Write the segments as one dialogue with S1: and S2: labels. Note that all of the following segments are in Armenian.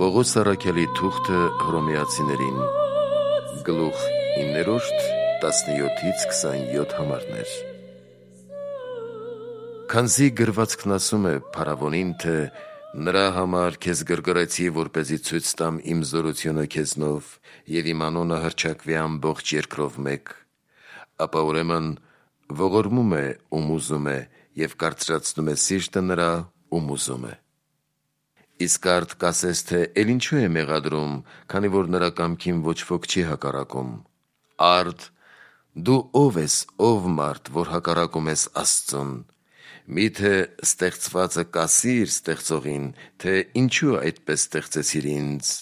S1: Պողոս առաքյալի թուղթը Հռոմեացիներին, գլուխ 9-17 համարներ։ Քանզի գրվածքն ասում է փարավոնին, թե նրա համար քեզ գրգռեցի, որպեսզի ցույց տամ իմ զորությունը քեզնով և իմ անունը հռչակվի ամբողջ երկրով մեկ, ապա ուրեմն ողորմում է ում ուզում է և կարծրացնում է սիրտը նրա, ում ուզում է։ Իսկ արդ կասես, թե էլ ինչու է մեղադրում, քանի որ նրա կամքին ոչ ոք չի հակառակում։ Արդ դու ով ես, ով մարդ, որ հակառակում ես Աստծուն։ Միթե ստեղծվածը կասիր ստեղծողին, թե ինչու այդպես ստեղծեցիր ինձ։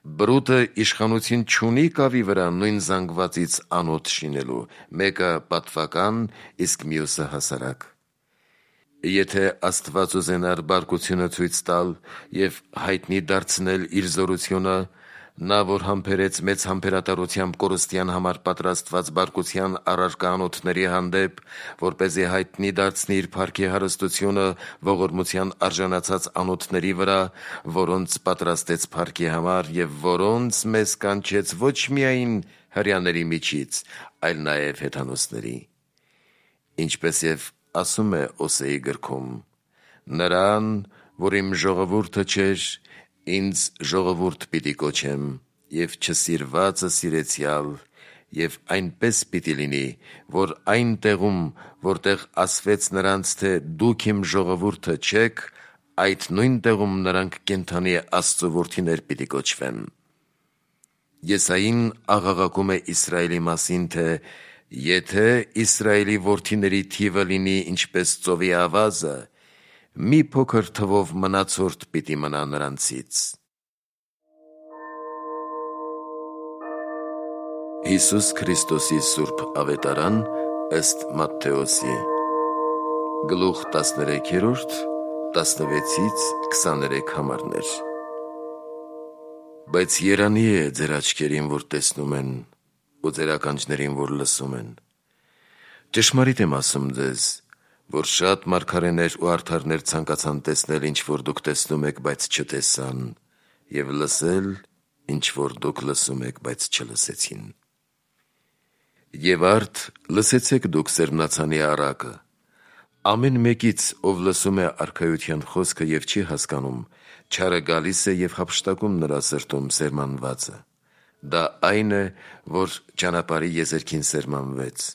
S1: Բրուտը իշխանություն չունի կավի վրա նույն զանգվածից անոթ շինելու, մեկը պատվական, իսկ մյուսը հասարակ։ Եթե Աստված ուզենար բարկությունը ցույց տալ և հայտնի դարձնել իր զորությունը, նա, որ համբերեց մեծ համբերատարությամբ կորստյան համար պատրաստված բարկության առարկա անոթների հանդեպ, որպեսզի հայտնի դարձնի իր փառքի հարստությունը ողորմության արժանացած անոթների վրա, որոնց պատրաստեց փառքի համար և որոնց մեզ կանչեց ոչ միայն հրեաների միջից, այլ նաև հեթանոսների։ Ինչպես և ասում է Օսեի գրքում. «Նրան, որ իմ ժողովուրդը չէր, ինձ ժողովուրդ պիտի կոչեմ, և չսիրվածը սիրեցյալ, և այնպես պիտի լինի, որ այն տեղում, որտեղ ասվեց նրանց, թե դուք իմ ժողովուրդը չեք, այդ նույն տեղում նրանք կենդանի Աստծու որդիներ պիտի կոչվեն»։ Եսային աղաղակում է Իսրայելի մասին, թե եթե Իսրայելի որդիների թիվը լինի ինչպես ծովի ավազը, մի փոքր թվով մնացորդ պիտի մնա նրանցից։ Հիսուս Քրիստոսի սուրբ ավետարան ըստ Մատթեոսի, գլուխ 13, 16-23 համարներ։ Բայց երանի է ձեր աչքերին, որ տեսնում են, ու ձեր ականջներին, որ լսում են։ Ճշմարիտ եմ ասում ձեզ, որ շատ մարգարեներ ու արդարներ ցանկացան տեսնել, ինչ որ դուք տեսնում եք, բայց չտեսան, և լսել, ինչ որ դուք լսում եք, բայց չլսեցին։ Եվ արդ լսեցեք դուք սերմնացանի առակը։ Ամեն մեկից, ով լսում է արքայության խոսքը և չի հասկանում, չարը գալիս է և հափշտակում նրա սրտում սերմանվածը։ Դա այն է, որ ճանապարհի եզերքին սերմանվեց։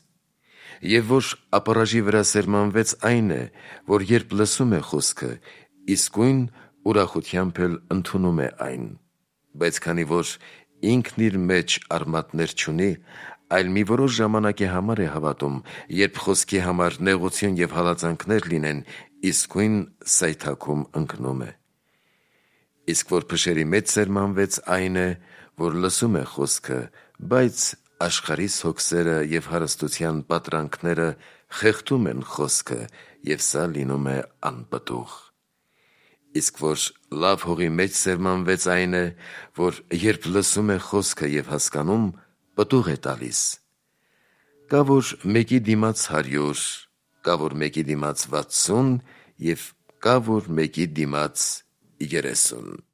S1: Եվ որ ապառաժի վրա սերմանվեց այն է, որ երբ լսում է խոսքը, իսկույն ուրախությամբ էլ ընդունում է այն։ Բայց քանի որ ինքն իր մեջ արմատներ չունի, այլ մի որոշ ժամանակի համար է հավատում, երբ խոսքի համար նեղություն և հալածանքներ լինեն, իսկույն սայթաքում ընկնում է։ Իսկ որ փշերի մեջ սերմանվեց այն է, որ լսում է խոսքը, բայց աշխարհիս հոգսերը և հարստության պատրանքները խեղդում են խոսքը, և սա լինում է անպտուղ։ Իսկ որ լավ հողի մեջ սերմանվեց այն է, որ երբ լսում է խոսքը և հասկանում, պտուղ է տալիս։ Կա որ մեկի դիմաց 100, կա որ մեկի դիմաց 60 և կա որ մեկի դիմաց 30։